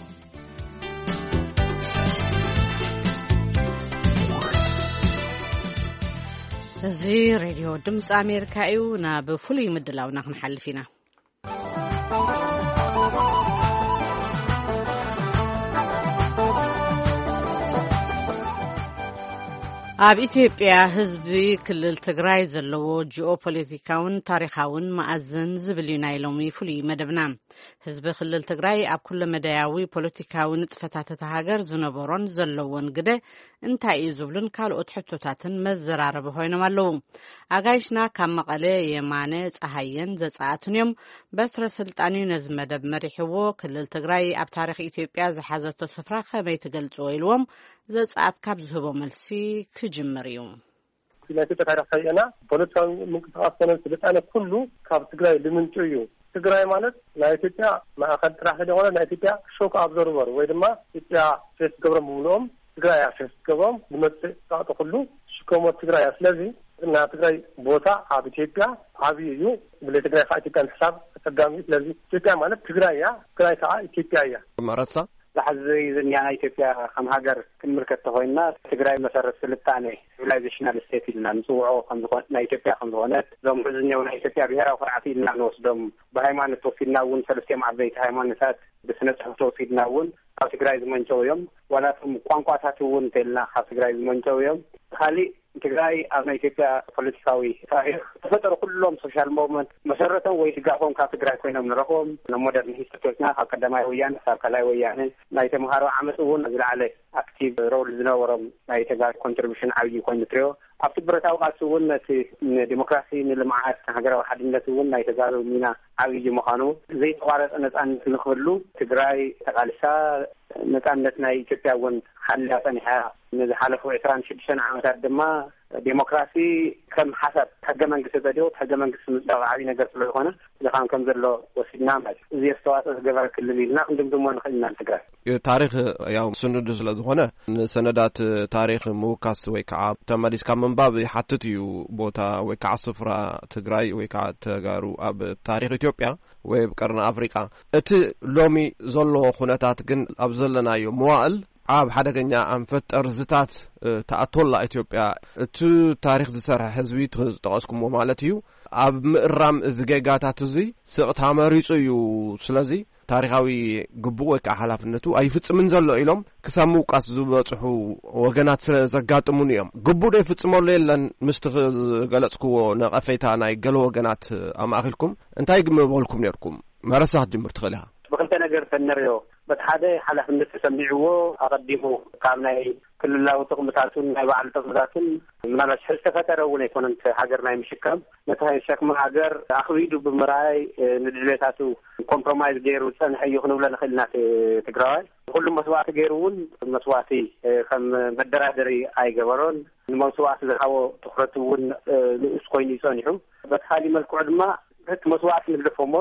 እዚ ሬድዮ ድምፂ ኣሜሪካ እዩ። ናብ ፍሉይ ምድላውና ክንሓልፍ ኢና። ኣብ ኢትዮጵያ ህዝቢ ክልል ትግራይ ዘለዎ ጂኦፖለቲካውን ታሪኻውን መኣዝን ዝብል እዩ ናይ ሎሚ ፍሉይ መደብና። ህዝቢ ክልል ትግራይ ኣብ ኩለ መዳያዊ ፖለቲካዊ ንጥፈታት እታ ሃገር ዝነበሮን ዘለዎን ግደ እንታይ እዩ ዝብሉን ካልኦት ሕቶታትን መዘራረቢ ኮይኖም ኣለዉ። ኣጋይሽና ካብ መቐለ የማነ ፀሃየን ዘፀኣትን እዮም። በትረ ስልጣን እዩ ነዚ መደብ መሪሕዎ። ክልል ትግራይ ኣብ ታሪኽ ኢትዮጵያ ዝሓዘቶ ስፍራ ከመይ ትገልፅዎ ኢልዎም ዘፀኣት ካብ ዝህቦ መልሲ ክጅምር እዩ። ናይ ኢትዮጵያ ታሪኽ ከይእና ፖለቲካዊ ምንቅስቃስ ኮነ ስልጣነ ኩሉ ካብ ትግራይ ልምንጩ እዩ። ትግራይ ማለት ናይ ኢትዮጵያ ማእኸል ጥራሕ ዘይኮነ ናይ ኢትዮጵያ ሾክ ኣብዞርቨር ወይ ድማ ኢትዮጵያ ፌስ ገብሮም ብምልኦም ትግራይ እያ ፌስ ገብሮም ዝመፅእ ፃዕጡ ኩሉ ሽከሞ ትግራይ እያ። ስለዚ ናይ ትግራይ ቦታ ኣብ ኢትዮጵያ ዓብዪ እዩ። ብለ ትግራይ ከዓ ኢትዮጵያ ምሕሳብ ኣፀጋሚ እዩ። ስለዚ ኢትዮጵያ ማለት ትግራይ እያ፣ ትግራይ ከዓ ኢትዮጵያ እያ። መረሳ ዛሕዚ ዝንያና ኢትዮጵያ ከም ሃገር ክንምልከት ተኮይንና ትግራይ መሰረት ስልጣኔ ሲቪላይዜሽናል ስቴት ኢልና ንፅውዖ ከምዝኮነ ናይ ኢትዮጵያ ከምዝኮነት እዞም ዝኛው ናይ ኢትዮጵያ ብሄራዊ ኩርዓት ኢልና ንወስዶም ብሃይማኖት ወሲድና እውን ሰለስቲኦም ዓበይቲ ሃይማኖታት ብስነ ፅሑፍ ተወሲድና እውን ካብ ትግራይ ዝመንጨው እዮም። ዋላቶም ቋንቋታት እውን እንተልና ካብ ትግራይ ዝመንጨው እዮም። ካሊእ ትግራይ ኣብ ናይ ኢትዮጵያ ፖለቲካዊ ታሪክ ተፈጠሩ ኩሎም ሶሻል ሞቭመንት መሰረቶም ወይ ድጋፎም ካብ ትግራይ ኮይኖም ንረኽቦም። ሞደርን ሂስትሪና ካብ ቀዳማይ ወያነ ካብ ካልኣይ ወያነ ናይ ተምሃሮ ዓመፅ እውን ዝለዓለ ኣክቲቭ ሮል ዝነበሮም ናይ ተጋሩ ኮንትሪቢሽን ዓብዪ ኮይኑ ትሪኦ ኣብቲ ብረታዊ ቃልሲ እውን ነቲ ንዲሞክራሲ ንልምዓት ንሃገራዊ ሓድነት እውን ናይ ተጋሩ ሚና ዓብዪ ምዃኑ ዘይተቋረፀ ነፃነት ንክህሉ ትግራይ ተቃልሳ ነፃነት ናይ ኢትዮጵያ እውን ሓልያ ፀኒሓ። ንዝሓለፉ ዕስራን ሽዱሽተን ዓመታት ድማ ዴሞክራሲ ከም ሓሳብ ሕገ መንግስቲ ተዲኡ ሕገ መንግስቲ ምፅዳቕ ዓብዪ ነገር ስለዝኾነ ዝኻን ከም ዘሎ ወሲድና ማለት እዩ። እዚ ኣስተዋፅኦ ዝገበረ ክልል ኢልና ክንድምድሞ ንኽእል ኢና ንትግራይ። ታሪክ ያው ስኑዱ ስለ ዝኾነ ንሰነዳት ታሪክ ምውካስ ወይ ከዓ ተመሊስካ ምንባብ ይሓትት እዩ። ቦታ ወይ ከዓ ስፍራ ትግራይ ወይ ከዓ ተጋሩ ኣብ ታሪክ ኢትዮጵያ ወይ ኣብ ቀርኒ ኣፍሪቃ እቲ ሎሚ ዘሎ ኩነታት ግን ኣብ ዘለናዮ መዋእል ኣብ ሓደገኛ ኣንፈት ጠርዝታት ትኣቶላ ኢትዮጵያ እቲ ታሪክ ዝሰርሐ ህዝቢ ዝጠቀስኩምዎ ማለት እዩ ኣብ ምእራም እዚ ጌጋታት እዚ ስቕታ መሪፁ እዩ። ስለዚ ታሪካዊ ግቡእ ወይ ከዓ ሓላፍነቱ ኣይፍፅምን ዘሎ ኢሎም ክሳብ ምውቃስ ዝበፅሑ ወገናት ስለ ዘጋጥሙን እዮም። ግቡእ ዶ ይፍፅመሉ የለን ምስቲ ዝገለፅክዎ ነቐፌታ ናይ ገለ ወገናት ኣማእኪልኩም እንታይ ምበልኩም ነርኩም? መረሳ ክትጅምር ትኽእል ኢኻ። ብክልተ ነገር ተንርዮ በቲ ሓደ ሓላፍነት ተሰሚዕዎ ኣቐዲሙ ካብ ናይ ክልላዊ ጥቕምታቱን ናይ ባዕሉ ጥቕምታቱን ምናልባሽ ዝተፈጠረ እውን ኣይኮነን ሃገር ናይ ምሽካም ነቲ ሸክሚ ሃገር ኣኽቢዱ ብምርኣይ ንድሌታቱ ኮምፕሮማይዝ ገይሩ ዝፀንሐ እዩ ክንብሎ ንኽእል ኢና። ትግራዋይ ንኩሉ መስዋእቲ ገይሩ እውን መስዋእቲ ከም መደራደሪ ኣይገበሮን። ንመስዋእቲ ዝሃቦ ትኩረት እውን ንኡስ ኮይኑ ይፀኒሑ። በቲ ካሊእ መልክዑ ድማ እቲ መስዋእቲ ንግደፎ እሞ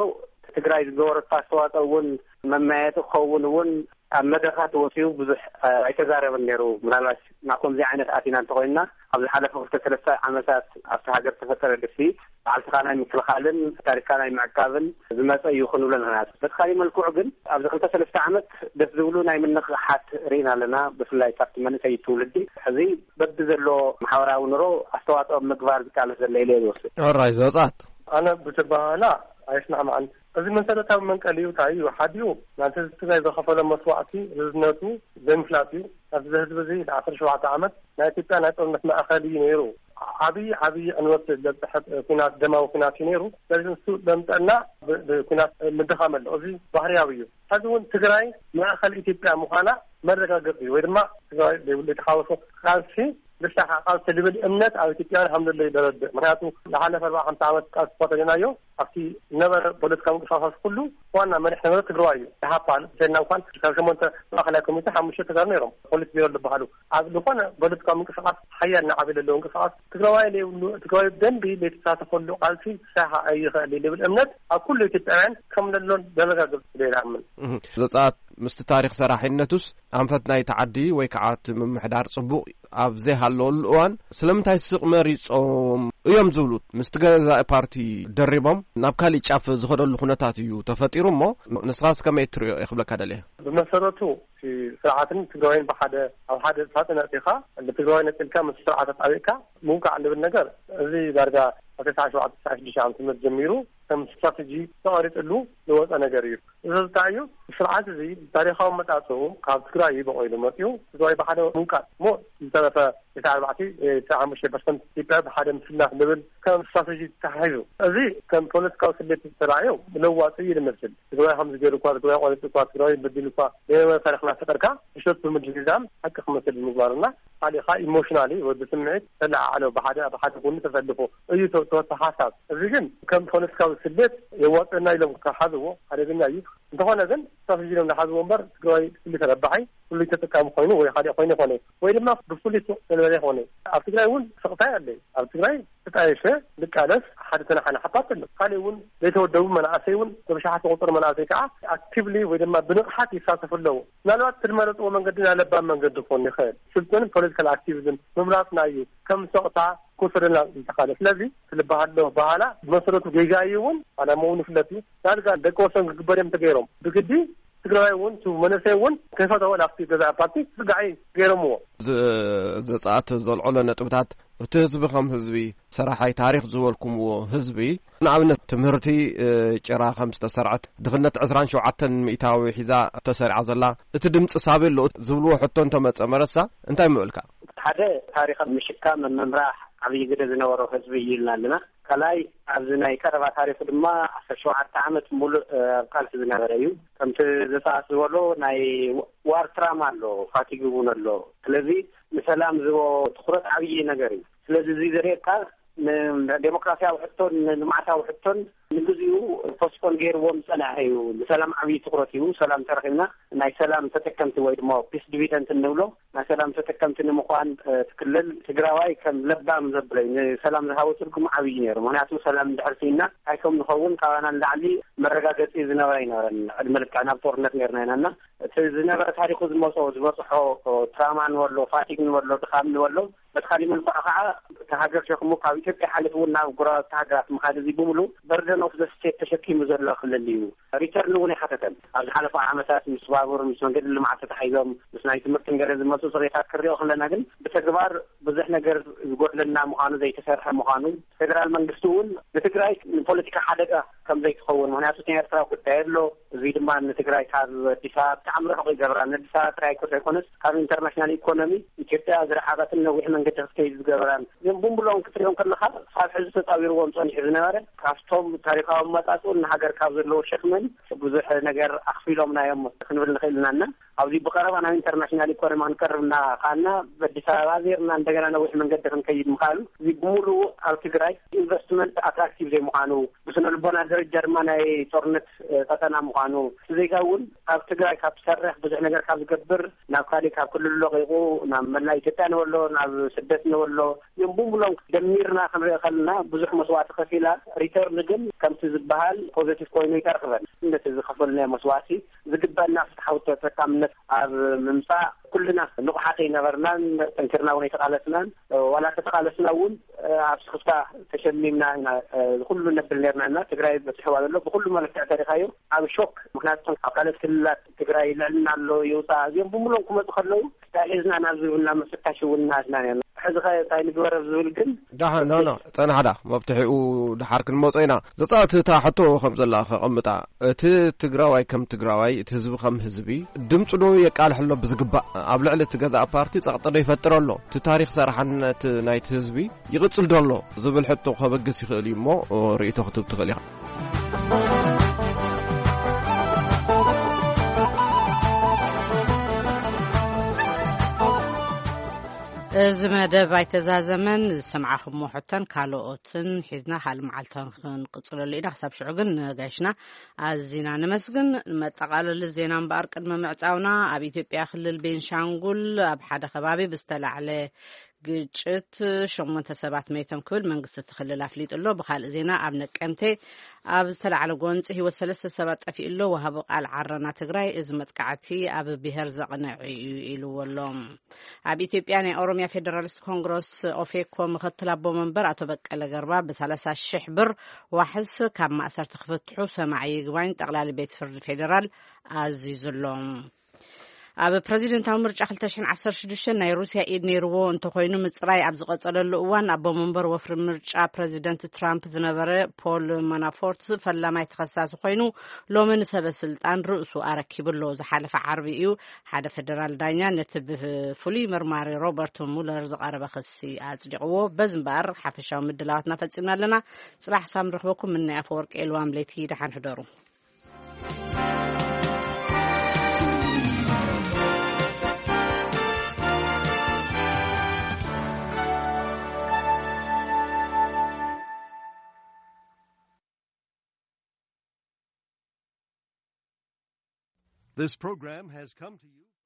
ትግራይ ዝገበረቶ ኣስተዋፅኦ እውን መመያየጢ ክኸውን እውን ኣብ መድረኻት ወፂኡ ብዙሕ ኣይተዛረበን ነይሩ። ምናልባት ናብ ከምዚ ዓይነት ኣቲና እንተኮይንና ኣብ ዝሓለፈ ክልተ ሰለስተ ዓመታት ኣብቲ ሃገር ዝተፈጠረ ድፍኢት ባዕልትኻ ናይ ምክልኻልን ታሪክካ ናይ ምዕቃብን ዝመፀ እዩ ክንብሎ ንኽእል ኢና። በቲ ካሊእ መልክዑ ግን ኣብዚ ክልተ ሰለስተ ዓመት ደስ ዝብሉ ናይ ምንቕሓት ርኢና ኣለና። ብፍላይ ካብቲ መንእሰይ ትውልዲ ሕዚ በቢ ዘሎ ማሕበራዊ ኑሮ ኣስተዋፅኦ ምግባር ዝቃለስ ዘሎ ኢለ እየ ዝወስድ። ሕራይ ዘውፃት ኣነ ብትባህላ ኣይስማዕማዕን። እዚ መሰረታዊ መንቀሊኡ እንታይ እዩ? ሓዲኡ ናንቲ ህዝቢ ትግራይ ዘኸፈሎ መስዋእቲ ርዝነቱ ዘይምፍላጥ እዩ። ኣብዚ ህዝቢ እዚ ንዓሰርተ ሸውዓተ ዓመት ናይ ኢትዮጵያ ናይ ጦርነት ማእኸል እዩ ነይሩ። ዓብዪ ዓብዪ ዕንወት ዘብፅሐ ኩናት ደማዊ ኩናት እዩ ነይሩ። ስለዚ ንሱ ዘምፀና ብኩናት ምድኻም ኣሎ። እዚ ባህርያዊ እዩ። ሕዚ እውን ትግራይ ማእኸል ኢትዮጵያ ምዃና መረጋገፂ እዩ ወይ ድማ ትግራይ ዘይብሉ የተሓወሶ ቃልሲ ንስኻ ቃልሲ ልብል እምነት ኣብ ኢትዮጵያውያን ሃምለሎ ይደረድእ። ምክንያቱ ዝሓለፈ ኣርባዓ ሓምሳ ዓመት ቃልሲ እኳ ተገናዮ ኣብቲ ነበረ ፖለቲካዊ ምንቅስቃሳት ኩሉ ዋና መሪሕ ነበረ ትግራዋይ እዩ። ኢሃፓ ንሰና እንኳን ካብ ሸሞንተ ማእኸላይ ኮሚቴ ሓሙሽተ ተጋሩ ነይሮም ፖሊት ቢሮ ዝበሃሉ ኣብ ዝኾነ ፖለቲካዊ ምንቅስቃስ ሓያል ንዓቢ ዘለዎ ምንቅስቃስ ትግራዋይ ዘይብሉ ትግራዋይ ብደንቢ ዘይተሳተፈሉ ቃልሲ ክሳኻ ኣይኽእል እዩ ልብል እምነት ኣብ ኩሉ ኢትዮጵያውያን ከም ለሎን ዘረጋግፅ ስለ ይኣምን። ዘፃት ምስቲ ታሪክ ሰራሒነቱስ ኣንፈት ናይቲ ዓዲ ወይ ከዓ እቲ ምምሕዳር ፅቡቕ ኣብ ዘይሃለወሉ እዋን ስለምንታይ ስቕ መሪፆም እዮም ዝብሉ ምስቲ ገዛኢ ፓርቲ ደሪቦም ናብ ካሊእ ጫፍ ዝኸደሉ ኩነታት እዩ ተፈጢሩ እሞ ንስኻስ ከመይ ትሪኦ እየ ክብለካ ደልየ። ብመሰረቱ እቲ ስርዓትን ትግራዋይን ብሓደ ኣብ ሓደ ሳፅን ኣእቲኻ ንትግራዋይ ነፂልካ ምስ ስርዓት ኣጣቢቕካ ምውቃዕ ልብል ነገር እዚ ዳርጋ ኣብ ተስዓ ሸውዓተ ተስዓ ሽዱሽተ ዓመተ ምህረት ጀሚሩ ከም ስትራተጂ ተቐሪፅሉ ዝወፀ ነገር እዩ። እዚ እንታይ እዩ? ስርዓት እዚ ታሪኻዊ መጣፅኡ ካብ ትግራይ እዩ በቆይሉ መፅኡ። ትግራይ ብሓደ ምውቃጥ እሞ ዝተረፈ ተስዓ ኣርባዕተ ተስዓ ሓሙሽተ ፐርሰንት ኢትዮጵያ ብሓደ ምስናፍ ዝብል ከም ስትራተጂ ተታሒዙ፣ እዚ ከም ፖለቲካዊ ስሌት ዝተራእዮ ለዋፂ እዩ ዝመስል። ትግራይ ከምዚ ገይሩ እኳ፣ ትግራይ ቆሪፁ እኳ፣ ትግራይ በዲሉ እኳ፣ ገለ ታሪኽና ፈጠርካ፣ ምሸት ብምድግጋም ሓቂ ክመስል ምግባርና፣ ካሊእካ ኢሞሽናሊ ወይ ብስምዒት ተለዓዕሎ፣ ብሓደ ብሓደ ጎኒ ተሰልፎ እዩ ተወሰተ ሓሳብ። እዚ ግን ከም ፖለቲካዊ ስሌት የዋፅና ኢሎም ክሓዝዎ ሓደገኛ እዩ። እንተኾነ ግን ስትራተጂ ኢሎም ዝሓዝዎ እምበር ትግራይ ፍሉይ ተረባሓይ፣ ፍሉይ ተጠቃሚ ኮይኑ ወይ ካልእ ኮይኑ ይኾነ፣ ወይ ድማ ብፍሉይ ሱቕ ተልበለ ይኾነ። ኣብ ትግራይ እውን ስቕታይ ኣለ። ኣብ ትግራይ ተጣየሸ ንቃለስ ሓደ ተናሓናሓ ፓርቲ ኣሎ። ካልእ እውን ዘይተወደቡ መናእሰይ እውን ብብሽሓት ዝቑፀሩ መናእሰይ ከዓ ኣክቲቭሊ ወይ ድማ ብንቕሓት ይሳተፉ ኣለዉ። ምናልባት እቲ ዝመረፅዎ መንገዲ ናይ ለባም መንገዲ ክኾን ይኽእል። ስልጡን ፖለቲካል ኣክቲቪዝም ምምራፅና እዩ ከም ሰቕታ ክወሰደና ዝተኻለ። ስለዚ ትልበሃሎ በሃላ ብመሰረቱ ጌጋ እዩ እውን፣ ዓላማ እውን ይፍለጥ እዩ። ዳርጋ ደቂ ወሰን ክግበር እዮም ተገይሮም። ብግዲ ትግራይ እውን፣ እቲ መንእሰይ እውን ከይፈተወ ናብቲ ገዛኢ ፓርቲ ዝርጋዒ ገይሮምዎ። ዝ-፣ ዘጻት ዘልዕሎ ነጥብታት፣ እቲ ህዝቢ ከም ህዝቢ፣ ሰራሓይ ታሪኽ ዝበልኩምዎ ህዝቢ፣ ንኣብነት ትምህርቲ፣ እ፣ ጭራ ከም ዝተሰርዐት፣ ድኽነት ዕስራን ሸውዓተን ሚእታዊ ሒዛ ተሰሪዓ ዘላ፣ እቲ ድምፂ ሳቢ ኣሎ ዝብልዎ ሕቶ እንተመጸ መረሳ፣ እንታይ ምበልካ? ሓደ ታሪኽ ምሽካም ምምራሕ ዓብዪ ግደ ዝነበሮ ህዝቢ እዩ ኢልና ኣለና። ካልኣይ ኣብዚ ናይ ቀረባ ታሪኹ ድማ ዓሰርተ ሸውዓተ ዓመት ሙሉእ፣ እ፣ ኣብ ቃልሲ ዝነበረ እዩ። ከምቲ ዘጻት ዝበሎ ናይ ዋር ትራማ ኣሎ፣ ፋቲግ እውን ኣሎ። ስለዚ ንሰላም ዝቦ ትኹረት ዓብዪ ነገር እዩ። ስለዚ እዚ ዘርእየካ ንዴሞክራሲያዊ ሕቶን ንልምዓታዊ ሕቶን ንግዚኡ ፖስትፖን ገይርዎም ዝጸንሐ እዩ። ንሰላም ዓብዪ ትኹረት እዩ። ሰላም ተረኺብና ናይ ሰላም ተጠቀምቲ ወይ ድማ ፒስ ዲቪደንት እንብሎ ናይ ሰላም ተጠቀምቲ ንምዃን፣ እ፣ እቲ ክልል ትግራዋይ ከም ለባም ዘብሎ እዩ። ንሰላም ዝሃቦ ትርጉም ዓብዪ ነይሩ። ምኽንያቱ ሰላም እንድሕር ስኢና እንታይ ከም ንኸውን ካባና ንላዕሊ መረጋገፂ ዝነበረ ኣይነበረን። ዕድመ ልክዕና ኣብ ጦርነት ነይርና ኢና እና እቲ ዝነበረ ታሪኹ ዝመጾ፣ ዝበጽሖ ትራማ ንበሎ፣ ፋቲግ ንበሎ፣ ድኻም ንበሎ፣ በቲ ካሊእ መልክዑ ከዓ እቲ ሃገር ሸክሙ ካብ ኢትዮጵያ ሓሊፉ እውን ናብ ጎረባብቲ ሃገራት ምኻድ፣ እዚ ብምሉእ በርደን ኦፍ ዘ ስቴት ተሸኪሙ ዘሎ ክልል እዩ። ሪተርን እውን ኣይሓተተን። ኣብ ዝሓለፈ ዓመታት ምስ ባቡር፣ ምስ መንገዲ ልምዓት ተታሒዞም፣ ምስ ናይ ትምህርትን ገለ ዝመፁ ፅሬታት ክሪኦ ከለና ግን ብተግባር ብዙሕ ነገር ዝጎድለና ምዃኑ፣ ዘይተሰርሐ ምዃኑ፣ ፌደራል መንግስቲ እውን ንትግራይ ንፖለቲካ ሓደጋ ከም ዘይትኸውን፣ ምኽንያቱ እቲ ናይ ኤርትራ ጉዳይ ኣሎ። እዚ ድማ ንትግራይ ካብ ኣዲስ ኣበባ ብጣዕሚ ርሑቕ ይገብራ። ንኣዲስ ኣበባ ጥራይ እኮ ዘይኮነስ ካብ ኢንተርናሽናል ኢኮኖሚ ኢትዮጵያ ዝረሓቐትን ነዊሕ መንገዲ ክትከይድ ዝገብራን እዚኦም ብሙሉኦም ክትሪኦም ከለኻ ካብ ሕዚ ተፃዊርዎም ፀኒሑ ዝነበረ ካብቶም ታሪኻዊ ኣመፃፅኡን ንሃገር ካብ ዘለዎ ሸክምን ብዙሕ ነገር ኣኽፊሎምና እዮም ክንብል ንኽእል ኢና እና ኣብዚ ብቐረባ ናብ ኢንተርናሽናል ኢኮኖሚ ክንቀርብ እናኸኣልና ብኣዲስ ኣበባ ዜርና እንደገና ነዊሕ መንገዲ ክንከይድ ምኽኣሉ እዚ ብምሉኡ ኣብ ትግራይ ኢንቨስትመንት ኣትራክቲቭ ዘይምዃኑ ብስነ ልቦና ደረጃ ድማ ናይ ጦርነት፣ እ፣ ቀጠና ምዃኑ፣ እቲ ዜጋ እውን ካብ ትግራይ ካብ ዝሰርሕ ብዙሕ ነገር ካብ ዝገብር ናብ ካሊእ ካብ ክልሉ ለቒቑ ናብ መላእ ኢትዮጵያ ንበሎ ናብ ስደት ንበሎ እዮም ብሙሉኦም ደሚርና ክንሪኦ ከለና ብዙሕ መስዋእቲ ከፊላ ሪተርን ግን ከምቲ ዝበሃል ፖዘቲቭ ኮይኑ ይተርክበን። ነቲ ዝኸፈልናዮ መስዋእቲ ዝግበአና ፍትሓዊ ተጠቃምነት ኣብ ምምፃእ ኩልና ንቑሓት ኣይነበርናን፣ ጠንኪርና እውን ኣይተቓለስናን። ዋላ ተተቓለስና እውን ኣብ ስክፍታ ተሸሚምና ኢና፣ እ፣ ኩሉ ነብል ነርና እና ትግራይ በፂሕዋ ዘሎ ብኩሉ መለክዕ ተሪኻዮ ኣብ ሾክ። ምክንያቱ ኣብ ካልኦት ክልላት ትግራይ ልዕልና ኣሎ ይውፃእ እዚኦም ብምሎም ክመፁ ከለዉ እንታይ ሒዝና ናብ ዝብልና ምፍታሽ እውን እናትና ነርና። ሕዚ ኸ እንታይ ንግበር ኣብ ዝብል ግን ዳሕ ኖ ኖ ጸናሕዳ መብትሒኡ ድሓር ክንመጾ ኢና። ዘጻእቲ እታ ሕቶ ከም ዘላ ከቐምጣ፣ እቲ ትግራዋይ ከም ትግራዋይ፣ እቲ ህዝቢ ከም ህዝቢ ድምፁ ዶ የቃልሕ ኣሎ ብዝግባእ? ኣብ ልዕሊ እቲ ገዛእ ፓርቲ ጸቕጢ ዶ ይፈጥር ኣሎ? እቲ ታሪኽ ሰራሕነት ናይቲ ህዝቢ ይቕጽል ዶ ኣሎ ዝብል ሕቶ ከበግስ ይኽእል እዩ እሞ ርእይቶ ክትህብ ትኽእል ኢኻ። እዚ መደብ ኣይተዛዘመን። ዝሰምዓኹሞ ሕቶን ካልኦትን ሒዝና ካልእ መዓልቲ ክንቅጽለሉ ኢና። ክሳብ ሽዑ ግን ንጋይሽና ኣዚና ነመስግን። ንመጠቓለሊ ዜና እምበኣር ቅድሚ ምዕጻውና፣ ኣብ ኢትዮጵያ ክልል ቤንሻንጉል ኣብ ሓደ ከባቢ ብዝተላዕለ ግጭት ሸሞንተ ሰባት መይቶም ክብል መንግስቲ እቲ ክልል ኣፍሊጡ ኣሎ። ብኻልእ ዜና፣ ኣብ ነቀምቴ ኣብ ዝተላዕለ ጎንፂ ህይወት ሰለስተ ሰባት ጠፊኡ ኣሎ። ወሃቢ ቃል ዓረና ትግራይ እዚ መጥቃዕቲ ኣብ ብሄር ዘቕነዐ እዩ ኢልዎ ኣሎ። ኣብ ኢትዮጵያ ናይ ኦሮሚያ ፌደራሊስት ኮንግረስ ኦፌኮ ምክትል ኣቦ መንበር ኣቶ በቀለ ገርባ ብሰላሳ ሺሕ ብር ዋሕስ ካብ ማእሰርቲ ክፍትሑ ሰማዒ ይግባኝ ጠቕላሊ ቤት ፍርዲ ፌደራል ኣዚዙ ኣሎ። ኣብ ፕረዚደንታዊ ምርጫ ክልተ ሽሕን ዓሰርተ ሽዱሽተን ናይ ሩስያ ኢድ ነይርዎ እንተኾይኑ፣ ምጽራይ ኣብ ዝቐጸለሉ እዋን፣ ኣቦ መንበር ወፍሪ ምርጫ ፕረዚደንት ትራምፕ ዝነበረ ፖል ማናፎርት ፈላማይ ተኸሳሲ ኮይኑ፣ ሎሚ ንሰበ ስልጣን ርእሱ ኣረኪቡ ኣሎ። ዝሓለፈ ዓርቢ እዩ ሓደ ፌደራል ዳኛ ነቲ ብፍሉይ መርማሪ ሮበርት ሙለር ዝቐረበ ክሲ ኣጽዲቕዎ። በዚ እምበኣር ሓፈሻዊ ምድላዋትና ፈጺምና ኣለና። ጽባሕ ሳም ንረኽበኩም። ምናይ ኣፈወርቂ ኤልዋም ለይቲ፣ ደሓን ሕደሩ። This program has come to you